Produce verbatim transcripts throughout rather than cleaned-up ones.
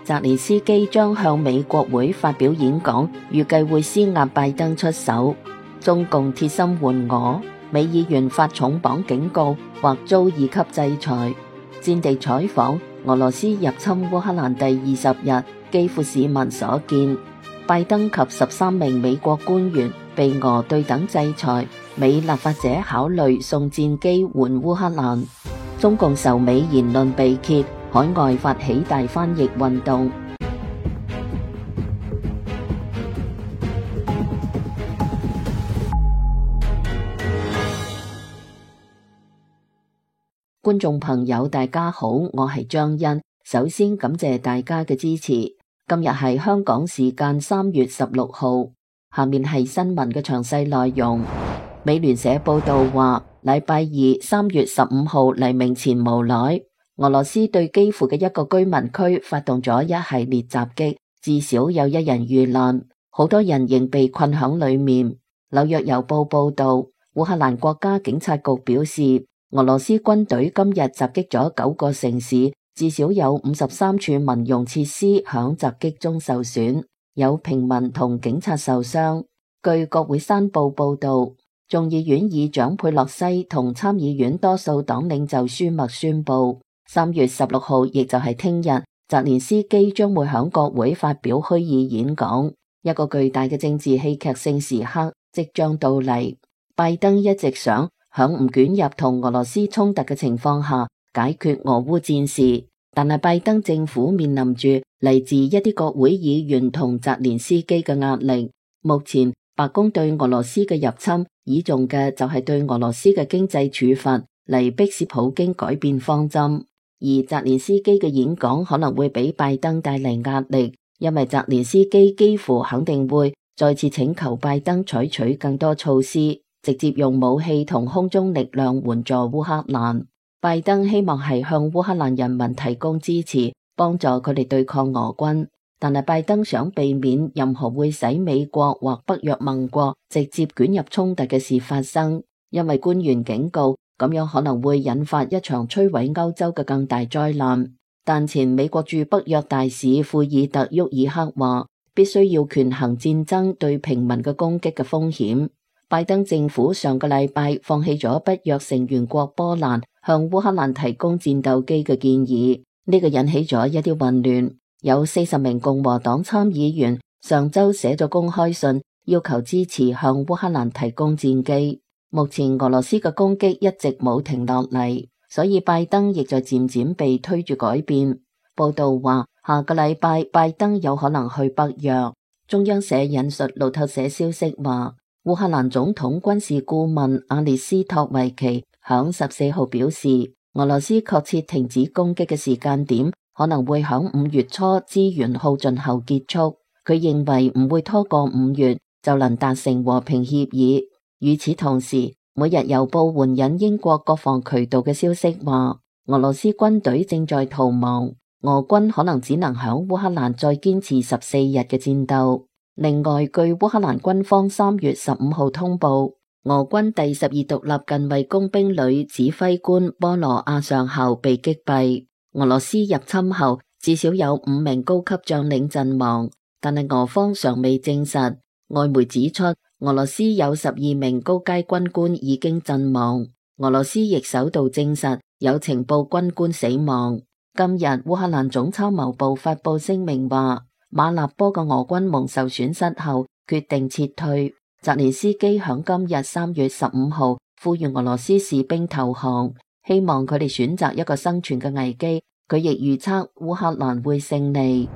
澤連斯基將向美國會發表演講，預計會施壓拜登出手。中共鐵心援俄，美議員發重磅警告，或遭二級制裁。戰地採訪，俄羅斯入侵烏克蘭第二十日，基輔市民所見。拜登及十三名美國官員被俄對等制裁，美立法者考慮送戰機援烏克蘭。中共仇美言論被揭，海外發起大翻譯運動。觀眾朋友大家好，我係張欣，首先感謝大家嘅支持。今日係香港時間三月十六號，下面係新聞嘅詳細內容。美聯社報道話，禮拜二三月十五號黎明前無耐，俄羅斯對基輔嘅一個居民區發動咗一系列襲擊，至少有一人遇難，好多人仍被困響裏面。紐約郵報報道，烏克蘭國家警察局表示，俄羅斯軍隊今日襲擊咗九個城市，至少有五十三處民用設施響襲擊中受損，有平民同警察受傷。據國會山報報道，眾議院議長佩洛西同參議院多數黨領袖舒默宣布，三月十六號，亦就係聽日，澤連斯基將會響國會發表虛擬演講，一個巨大嘅政治戲劇性時刻即將到嚟。拜登一直想響唔捲入同俄羅斯衝突嘅情況下解決俄烏戰事，但係拜登政府面臨住嚟自一啲國會議員同澤連斯基嘅壓力。目前白宮對俄羅斯嘅入侵倚重嘅就係對俄羅斯嘅經濟處罰嚟迫使普京改變方針，而澤連斯基嘅演講可能會俾拜登帶嚟壓力，因為澤連斯基幾乎肯定會再次請求拜登採取更多措施，直接用武器同空中力量援助烏克蘭。拜登希望係向烏克蘭人民提供支持，幫助佢哋對抗俄軍。但係拜登想避免任何會使美國或北約盟國直接捲入衝突嘅事發生，因為官員警告，咁樣可能會引發一場摧毀歐洲嘅更大災難。但前美國駐北約大使庫爾特沃爾克話，必須要權衡戰爭對平民嘅攻擊嘅風險。拜登政府上個禮拜放棄咗北約成員國波蘭向烏克蘭提供戰鬥機嘅建議，呢個引起咗一啲混亂。有四十名共和黨參議員上周寫咗公開信，要求支持向烏克蘭提供戰機。目前俄羅斯嘅攻擊一直冇停落嚟，所以拜登亦在漸漸被推住改變。報道話，下個禮拜拜登有可能去北約。中央社引述路透社消息話，烏克蘭總統軍事顧問阿列斯托維奇響十四號表示，俄羅斯確切停止攻擊嘅時間點可能會響五月初資源耗盡後結束。佢認為唔會拖過五月就能達成和平協議。與此同時，每日郵報援引英國國防渠道嘅消息話，俄羅斯軍隊正在逃亡，俄軍可能只能響烏克蘭再堅持十四日嘅戰鬥。另外，據烏克蘭軍方三月十五號通報，俄軍第十二獨立近衛工兵旅指揮官波羅亞上校被擊斃。俄羅斯入侵後，至少有五名高級將領陣亡，但係俄方尚未證實。外媒指出，俄羅斯有十二名高階軍官已經陣亡。俄羅斯亦首度證實有情報軍官死亡。今日烏克蘭總參謀部發布聲明話，馬納波嘅俄軍蒙受損失後決定撤退。澤連斯基響今日三月十五號呼籲俄羅斯士兵投降，希望佢哋選擇一個生存嘅危機。佢亦預測烏克蘭會勝利。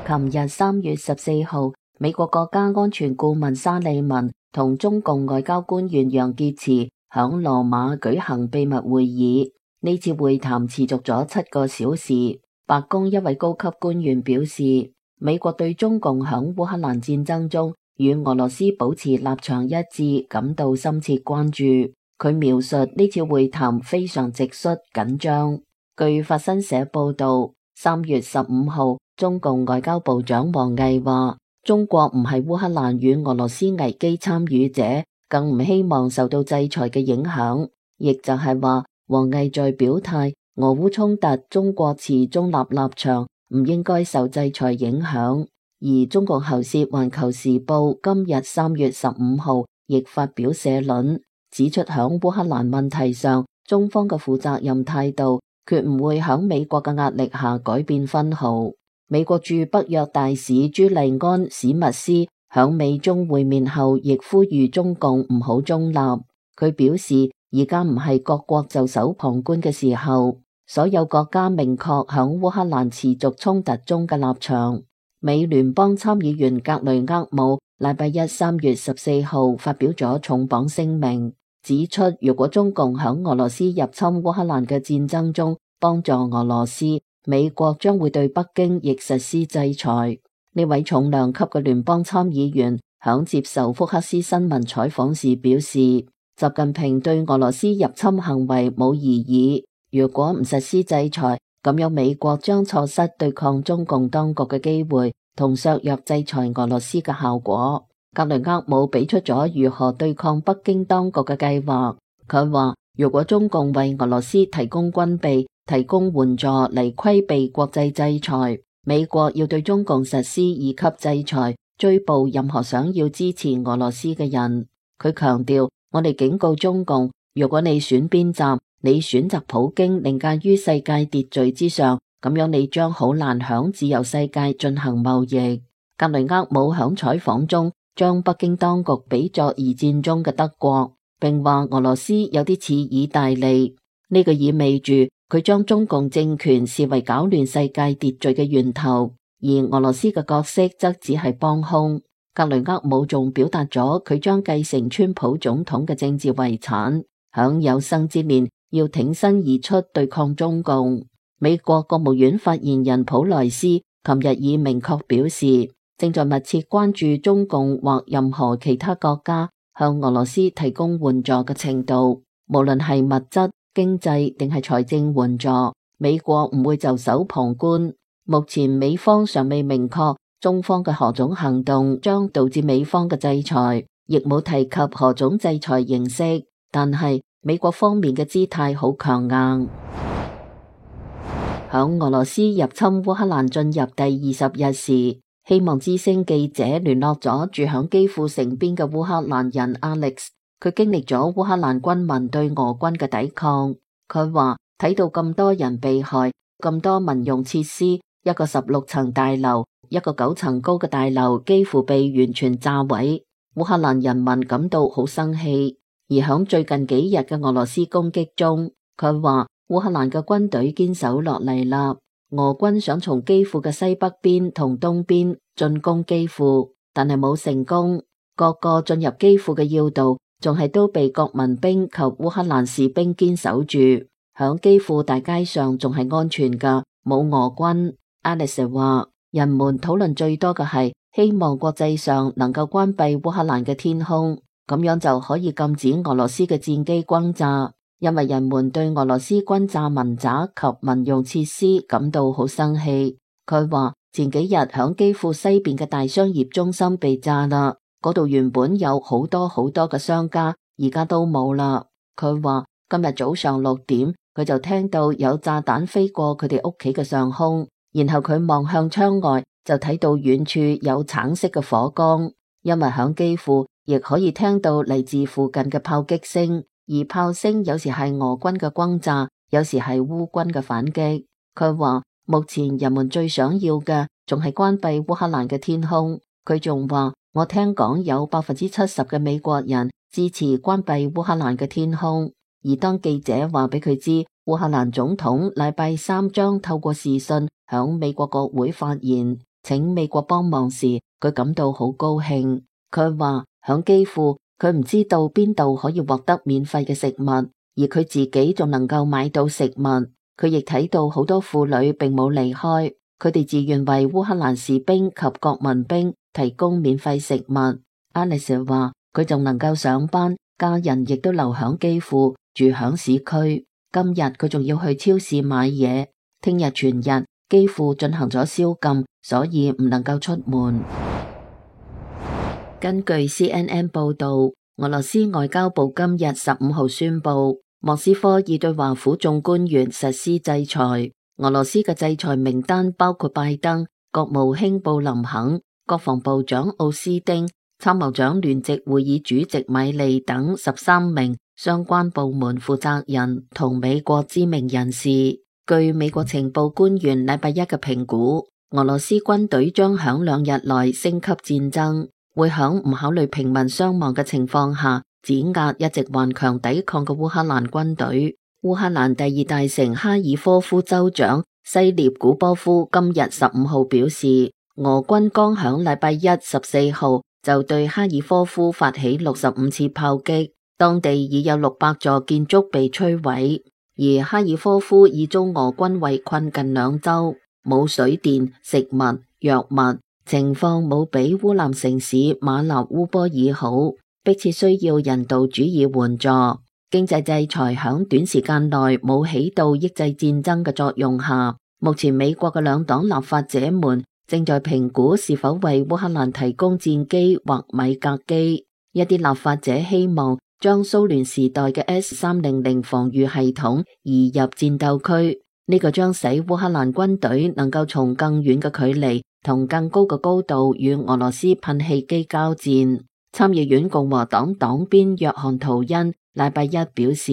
琴日三月十四號，美國國家安全顧問沙利文同中共外交官員楊潔篪響羅馬舉行秘密會議。呢次會談持續咗七個小時。白宮一位高級官員表示，美國對中共響烏克蘭戰爭中與俄羅斯保持立場一致感到深切關注。佢描述呢次會談非常直率緊張。據法新社報道，三月十五號，中共外交部長王毅話，中國唔係烏克蘭與俄羅斯危機參與者，更唔希望受到制裁嘅影響。亦就係話，王毅在表態，俄烏衝突，中國持中立立場，唔應該受制裁影響。而中共喉舌《環球時報》今日三月十五號亦發表社論，指出響烏克蘭問題上，中方嘅負責任態度，決唔會響美國嘅壓力下改變分毫。美國駐北約大使朱利安史密斯響美中會面後，亦呼籲中共唔好中立。佢表示，而家唔係各國袖手旁觀嘅時候，所有國家明確響烏克蘭持續衝突中嘅立場。美聯邦參議員格雷厄姆禮拜一三月十四號發表咗重磅聲明，指出如果中共響俄羅斯入侵烏克蘭嘅戰爭中幫助俄羅斯，美國將會對北京亦實施制裁。呢位重量級嘅聯邦參議員響接受福克斯新聞採訪時表示，習近平對俄羅斯入侵行為冇異議，如果唔實施制裁，咁樣美國將錯失對抗中共當局嘅機會，同削弱制裁俄羅斯嘅效果。格雷厄姆俾出咗如何對抗北京當局嘅計劃。佢話，如果中共為俄羅斯提供軍備、提供援助嚟規避國際制裁，美國要對中共實施二級制裁，追捕任何想要支持俄羅斯嘅人。佢強調，我哋警告中共，如果你選邊站，你選擇普京凌駕於世界秩序之上，咁樣你將好難響自由世界進行貿易。格雷厄姆響採訪中將北京當局比作二戰中嘅德國，並話俄羅斯有啲似意大利。呢個意味住佢將中共政權視為搞亂世界秩序嘅源頭，而俄羅斯嘅角色則只係幫兇。格雷厄姆仲表達咗佢將繼承川普總統嘅政治遺產，響有生之年要挺身而出對抗中共。美國國務院發言人普萊斯琴日已明確表示，正在密切關注中共或任何其他國家向俄羅斯提供援助嘅程度，無論係物質、經濟定係財政援助，美國唔會袖手旁觀。目前美方尚未明確中方嘅何種行動將導致美方嘅制裁，亦冇提及何種制裁形式，但係美國方面嘅姿態好強硬。響俄羅斯入侵烏克蘭進入第二十日時，希望之聲記者聯絡咗住響基輔城邊嘅烏克蘭人 Alex， 佢經歷咗烏克蘭軍民對俄軍嘅抵抗。佢話睇到咁多人被害，咁多民用設施，一個十六層大樓，一個九層高嘅大樓幾乎被完全炸毀，烏克蘭人民感到好生氣。而響最近幾日嘅俄羅斯攻擊中，佢話烏克蘭嘅軍隊堅守落嚟啦。俄軍想從基輔嘅西北邊同東邊進攻基輔，但係冇成功。各個進入基輔嘅要道仲係都被國民兵及烏克蘭士兵堅守住。響基輔大街上仲係安全噶，冇俄軍。Alice 話，人們討論最多嘅係希望國際上能夠關閉烏克蘭嘅天空，咁樣就可以禁止俄羅斯嘅戰機轟炸。因為人們對俄羅斯轟炸民宅及民用設施感到好生氣。佢話前幾日響基輔西邊嘅大商業中心被炸啦，嗰度原本有好多好多嘅商家，而家都冇啦。佢話今日早上六點，佢就聽到有炸彈飛過佢哋屋企嘅上空，然後佢望向窗外就睇到遠處有橙色嘅火光。因為響基輔亦可以聽到嚟自附近嘅炮擊聲。而炮聲有時係俄軍嘅轟炸，有時係烏軍嘅反擊。佢話目前人們最想要嘅仲係關閉烏克蘭嘅天空。佢仲話，我聽講有百分之七十嘅美國人支持關閉烏克蘭嘅天空。而當記者話俾佢知烏克蘭總統禮拜三將透過視訊響美國國會發言，請美國幫忙時，佢感到好高興。佢話響基輔，佢唔知道邊度可以獲得免費嘅食物，而佢自己仲能夠買到食物。佢亦睇到好多婦女並冇離開，佢哋自願為烏克蘭士兵及國民兵提供免費食物。Alice 話佢仲能夠上班，家人亦都留響基輔，住響市區。今日佢仲要去超市買嘢，聽日全日基輔進行咗宵禁，所以唔能夠出門。根據 C N N 報道，俄羅斯外交部今日十五號宣布，莫斯科已對華府眾官員實施制裁。俄羅斯嘅制裁名單包括拜登、國務卿布林肯、國防部長奧斯丁、參謀長聯席會議主席米利等十三名相關部門負責人同美國知名人士。據美國情報官員禮拜一嘅評估，俄羅斯軍隊將響兩日內升級戰爭，會響唔考慮平民傷亡嘅情況下，碾壓一直頑強抵抗嘅烏克蘭軍隊。烏克蘭第二大城哈爾科夫州長西涅古波夫今日十五號表示，俄軍剛響禮拜一十四號就對哈爾科夫發起六十五次炮擊，當地已有六百座建築被摧毀，而哈爾科夫已遭俄軍圍困近兩周，冇水電、食物、藥物，情況冇比烏南城市馬納烏波爾好，迫切需要人道主義援助。經濟制裁響短時間內冇起到抑制戰爭嘅作用下，目前美國嘅兩黨立法者們正在評估是否為烏克蘭提供戰機或米格機。一啲立法者希望將蘇聯時代嘅 S 三百防禦系統移入戰鬥區，呢個將使烏克蘭軍隊能夠從更遠嘅距離同更高嘅高度與俄羅斯噴氣機交戰。參議院共和黨黨鞭約翰圖恩禮拜一表示，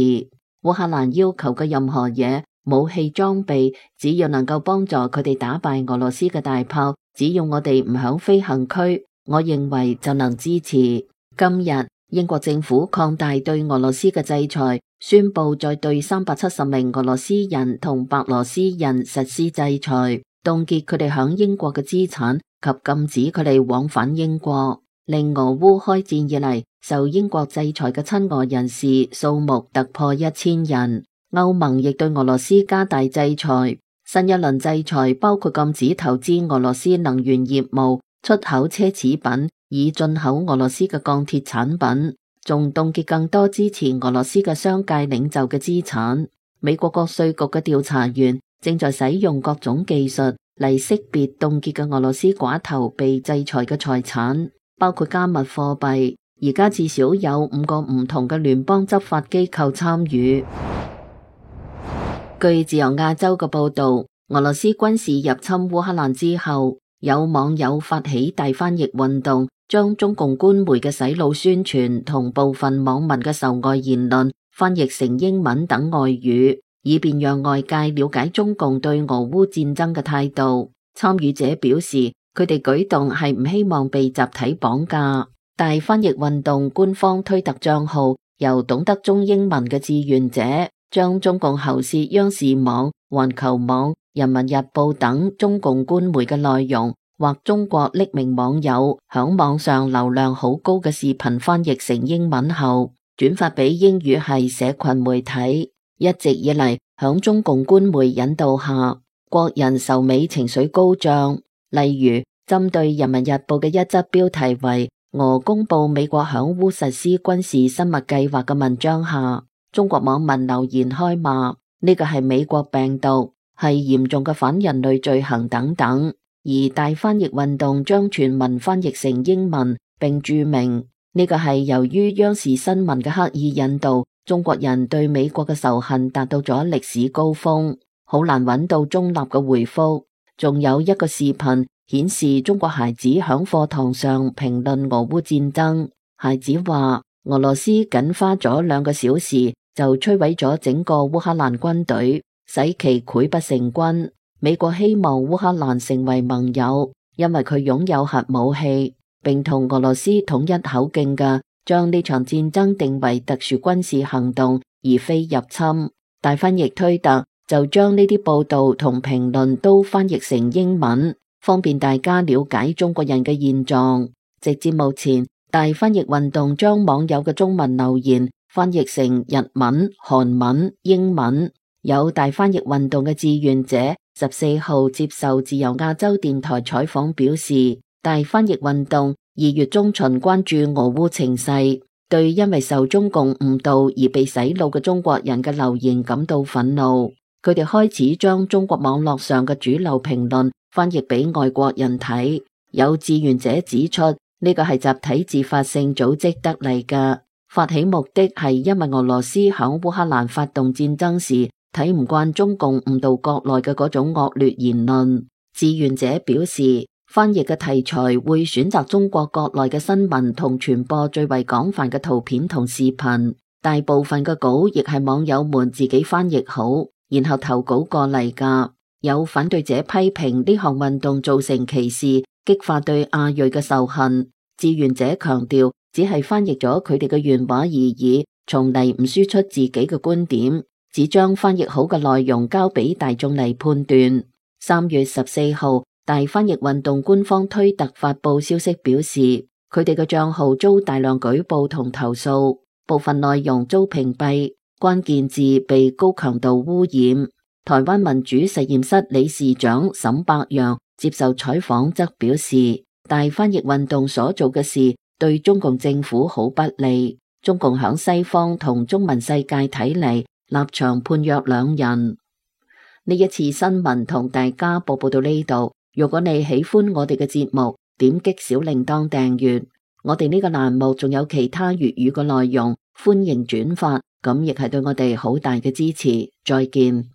烏克蘭要求嘅任何嘢，武器裝備，只要能夠幫助佢哋打敗俄羅斯嘅大炮，只要我哋唔響飛行區，我認為就能支持。今日英國政府擴大對俄羅斯嘅制裁，宣布再對三百七十名俄羅斯人同白羅斯人實施制裁，凍結佢哋響英國嘅資產及禁止佢哋往返英國，令俄烏開戰以嚟受英國制裁嘅親俄人士數目突破一千人。歐盟亦對俄羅斯加大制裁，新一輪制裁包括禁止投資俄羅斯能源業務、出口奢侈品，以進口俄羅斯嘅鋼鐵產品，仲凍結更多支持俄羅斯嘅商界領袖嘅資產。美國國稅局嘅調查員正在使用各種技術嚟識別凍結嘅俄羅斯寡頭被制裁嘅財產，包括加密貨幣。而家至少有五個唔同嘅聯邦執法機構參與。據自由亞洲嘅報道，俄羅斯軍事入侵烏克蘭之後，有網友發起大翻譯運動，將中共官媒嘅洗腦宣傳同部分網民嘅仇外言論翻譯成英文等外語，以便讓外界了解中共對俄烏戰爭嘅態度。參與者表示，佢哋舉動係唔希望被集體綁架。大翻譯運動官方推特賬號由懂得中英文嘅志願者將中共喉舌央視網、環球網、人民日報等中共官媒嘅內容，或中國匿名網友響網上流量好高嘅視頻翻譯成英文後，轉發俾英語系社群媒體。一直以嚟，響中共官媒引導下，國人仇美情緒高漲。例如，針對人民日報嘅一則標題為俄公布美國響烏實施軍事生物計劃嘅文章下，中國網民留言開罵，呢個係美國病毒，係嚴重嘅反人類罪行等等。而大翻譯運動將全文翻譯成英文，並注明呢個係由於央視新聞嘅刻意引導，中國人對美國嘅仇恨達到咗歷史高峰，好難揾到中立嘅回覆。仲有一個視頻顯示中國孩子響課堂上評論俄烏戰爭，孩子話俄羅斯僅花咗兩個小時就摧毀咗整個烏克蘭軍隊，使其潰不成軍。美國希望烏克蘭成為盟友，因為佢擁有核武器，並同俄羅斯統一口徑嘅將呢場戰爭定為特殊軍事行動，而非入侵。大翻譯推特就將呢啲報道同評論都翻譯成英文，方便大家了解中國人嘅現狀。直至目前，大翻譯運動將網友嘅中文留言翻譯成日文、韓文、英文。有大翻譯運動嘅志願者十四號接受自由亞洲電台採訪表示，大翻譯運動二月中旬關注俄烏情勢，對因為受中共誤導而被洗腦嘅中國人嘅留言感到憤怒。佢哋開始將中國網絡上嘅主流評論翻譯俾外國人睇。有志願者指出，呢個係集體自發性組織得嚟嘅，發起目的係因為俄羅斯響烏克蘭發動戰爭時睇唔慣中共誤導國內嘅嗰種惡劣言論。志願者表示，翻譯嘅題材會選擇中國國內嘅新聞同傳播最為廣泛嘅圖片同視頻，大部分嘅稿亦係網友們自己翻譯好，然後投稿過嚟㗎。有反對者批評呢項運動造成歧視，激發對亞裔嘅仇恨。志願者強調，只係翻譯咗佢哋嘅原話而已，從嚟唔輸出自己嘅觀點，只將翻譯好嘅內容交俾大眾嚟判斷。三月十四號，大翻譯運動官方推特發佈消息表示，佢哋嘅賬號遭大量舉報同投訴，部分內容遭屏蔽，關鍵字被高強度污染。台灣民主實驗室理事長沈伯洋接受採訪則表示，大翻譯運動所做嘅事對中共政府好不利，中共響西方同中文世界睇嚟立場判若兩人。呢一次新聞同大家報報到呢度，如果你喜歡我哋嘅節目，點擊小鈴鐺訂閱。我哋呢個欄目仲有其他粵語嘅內容，歡迎轉發，咁亦係對我哋好大嘅支持。再見。